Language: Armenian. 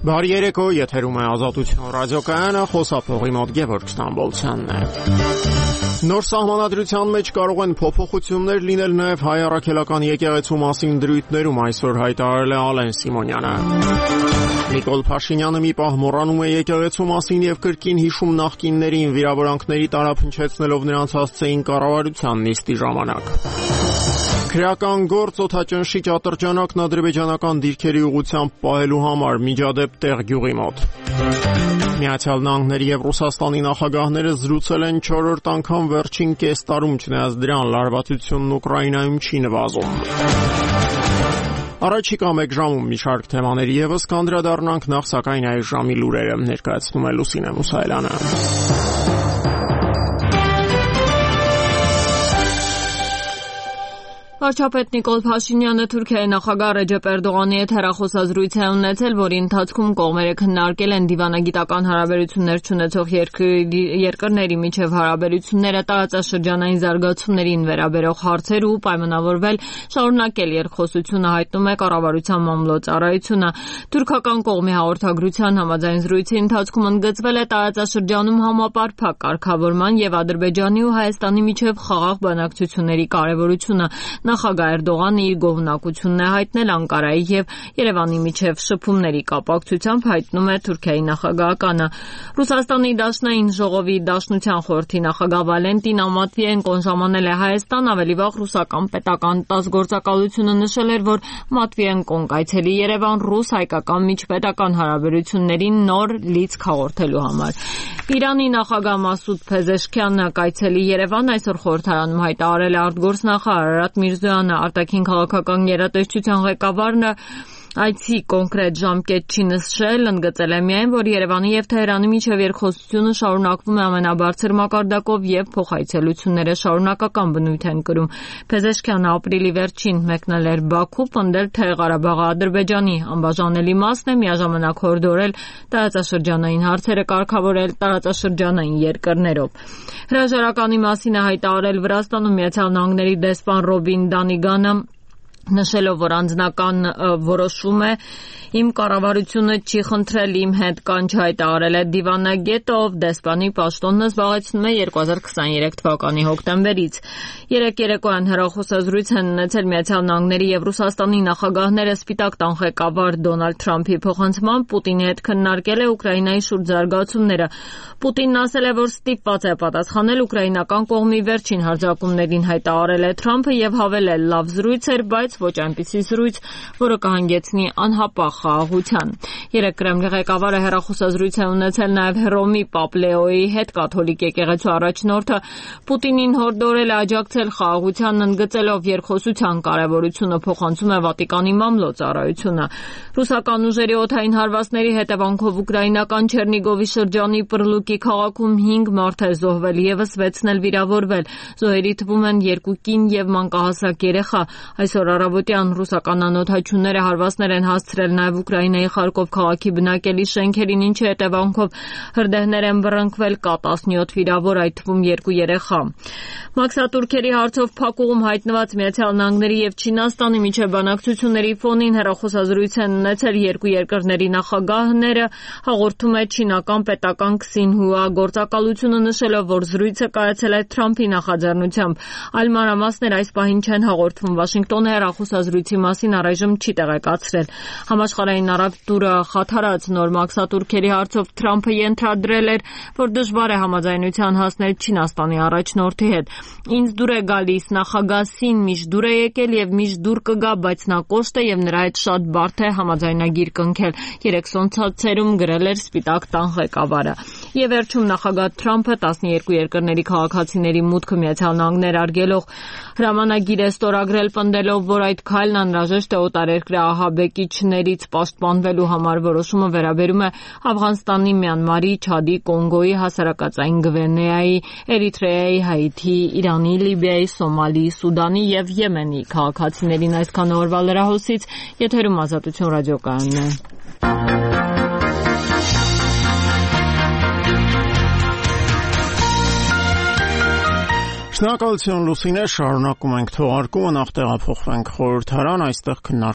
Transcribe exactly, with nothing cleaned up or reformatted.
Բարի երեկո, եթերում է Ազատություն ռադիոկայանը, խոսափողի մոտ Գևորգ Ստամբոլցյանն է։ Նոր սահմանադրության մեջ կարող են փոփոխություններ լինել նաև հայ առաքելական եկեղեցու մասին դրույթներում, այսօր հայտարարել է Ալեն Սիմոնյանը։ Նիկոլ Փաշինյանը մի պահ մոռանում է եկեղեցու մասին եւ կրկին հիշում նախկիններին, վիրավորանքների տարափնչեցնելով նրանց հասցեին կառավարության նիստի ժամանակ։ Քրեական գործ օդաճնշի ատրճանակն ադրբեջանական դիրքերի ուղղությամբ պահելու համար միջադեպ տեղ գյուղի մոտ։ Միացյալ Նահանգների եւ Ռուսաստանի նախագահները զրուցել են չորրորդ անգամ վերջին կես տարում, չնայած դրան լարվածությունն Ուկրաինայում չի նվազում։ Առաջիկա մեկ ժամում մի շարք թեմաների եւս կանդրադառնանք, նախ սակայն այս ժամի լուրերը ներկայացնում է Լուսինե Մուսայելյանը։ Վարչապետ Նիկոլ Փաշինյանը Թուրքիայի նախագահ Ռեջեփ Էրդողանի հետ հեռախոսազրույց է ունեցել, որի ընթացքում կողմերը քննարկել են դիվանագիտական հարաբերություններ չունեցող երկրների միջև հարաբերությունները, տարածաշրջանային զարգացումներին վերաբերող հարցեր ու պայմանավորվել շարունակել երկխոսությունը, հայտնում է կառավարության մամլոյցարայությունը։ Թուրքական կողմի հաղորդագրության համաձայն զրույցի ընթացքում ընդգծվել է տարածաշրջանում համապարփակ կարգավորման եւ Ադրբեջանի ու Հայաստանի միջև խաղաղ բանակցությունների կարեւորությունը։ Նախագահ Էրդողանը իր գոհունակությունն է հայտնել Անկարայի եւ Երևանի միջև շփումների կապակցությամբ, հայտնում է Թուրքիայի նախագահականը։ Ռուսաստանի Դաշնային ժողովի Դաշնության խորհրդի նախագահ Վալենտին Ամատվիենկոն ժամանել է Հայաստան, ավելի վաղ ռուսական պետական տաս գործակալությունը նշել էր, որ Մատվիենկոն կայցելի Երևան ռուս-հայկական միջպետական հարաբերություններին նոր լիցք հաղորդելու համար։ Իրանի նախագահ Մասուդ Փեզեշքյանը կայցելի Երևան, այսօր խորհրդարանում հայտարարել է արտգործնախարար Արարատ Միրզոյանը, արտաքին քաղաքական գերատեսչության ղեկավարն այցի կոնկրետ ժամկետ չի նշել, ընդգծել է միայն, որ Երևանի եւ Թեհրանի միջև երկխոսությունը շարունակվում է ամենաբարձր մակարդակով եւ փոխայցելությունները շարունակական բնույթ են կրում։ Փեզեշքյանը ապրիլի վերջին մեկնել էր Բաքու, պնդել, թե Ղարաբաղը Ադրբեջանի անբաժանելի մասն է, միաժամանակ հորդորել տարածաշրջանային հարցերը կարգավորել տարածաշրջանային երկրներով։ Հրաժարականի մասին է հայտարարել Վրաստանում Միացյալ Նահանգների դեսպան Ռոբին Դանիգանը, նշելով, որ անձնական որոշում է, իմ կառավարությունը չի խնդրել իմ հետ կանչ հայտարարել է դիվանագետը, ով դեսպանի պաշտոնն զբաղեցնում է երկու հազար քսաներեք թվականի հոկտեմբերից։ Երեք երեկոյան հեռախոսազրույց են ունեցել Միացյալ Նահանգների եւ Ռուսաստանի նախագահները Սպիտակ տան ղեկավար Դոնալդ Թրամփի փոխանցմամբ Պուտինի հետ քննարկել է Ուկրաինայի շուրջ զարգացումները։ Պուտինն ասել է, որ ստիպված է պատասխանել ուկրաինական կողմի վերջին հարձակումներին, հայտարարել է Թրամփը եւ հավելել, լավ զրույց էր, բայց ոչ այնպիսի զրույց, որը կհանգեցնի անհապաղ խաղաղության։ Երեք Կրեմլի ղեկավարը հեռախոսազրույց է ունեցել նաև Հռոմի Պապ Լեոյի հետ, կաթոլիկ եկեղեցու առաջնորդը Պուտինին հորդորել է աջակցել խաղաղությանն, ընդգծելով երկխոսության կարևորությունը, փոխանցում է Վատիկանի մամլոյցարայությունը։ Ռուսական ուժերի օդային հարվածների հետևանքով ուկրաինական Չերնիգովի շրջանի Պրլուկի քաղաքում հինգ մարդ է զոհվել, եւս վեցն էլ վիրավորվել։ Զոհերի թվում են երկու կին եւ մանկահասակ երեխա։ Այսօր առավոտյան ռուսական անօդաչուները հարվածներ են հասցրել նաև Ուկրաինայի Խարկով քաղաքի բնակելի շենքերին, ինչի հետևանքով հրդեհներ են բռնկվել, կա տասնյոթ վիրավոր, այդ թվում երկու երեխա։ Մաքսատուրքերի հարցով փակուղում հայտնված Միացյալ Նահանգների եւ Չինաստանի միջև բանակցությունների ֆոնին հեռախոսազրույց են ունեցել երկու երկրների նախագահները, հաղորդում է չինական պետական Քսինհուա գործակալությունը, նշելով, որ զրույցը կայացել է Թրամփի նախաձեռնությամբ։ Այլ մանրամասներ այս պահին չեն հաղորդվում։ Վաշինգտոնը հեռախոսազրույցի մասին առայժմ չի տեղեկացրել։ Համաշխարհային առևտուրը խաթարած նոր մաքսատուրքերի հարցով Թրամփը ենթադրել էր, որ դժվար է համաձայնության հասնել Չինաստանի առաջնորդի հետ։ Ինձ դուր է գալիս նախագահ Սին, միշտ դուր է եկել եւ միշտ դուր կգա, բայց նա կոշտ է եւ նրա հետ շատ բարդ է համաձայնագիր կնքել, երեք սոցցերում գրել էր Սպիտակ տան ղեկավարը։ Եվ վերջում նախագահ Թրամփը տասներկու երկրների քաղաքացիների մուտքը Միացյալ Նահանգներ արգելող հրամանագիր է ստորագրել, պնդելով, որ այդ քայլն անհրաժեշտ է օտարերկրյա ահաբեկիչներից պաշտպանվելու համար։ Որոշումը վերաբերում է Աֆղանստանի, Մյանմարի, Չադի, Կոնգոյի, Հասարակածային Գվինեայի, Էրիթրեայի, Հայիթի, Իրանի, Լիբիայի, Սոմալի, Սուդանի եւ Եմենի քաղաքացիներին։ Այսքան օրվա լրահոսից, եթերում Ազատություն ռադիոկայանն է։ Շնորհակալություն Լուսինե, շարունակում ենք թողարկումը, նախ տեղափոխվենք խորհրդարան, այստեղ քննարկում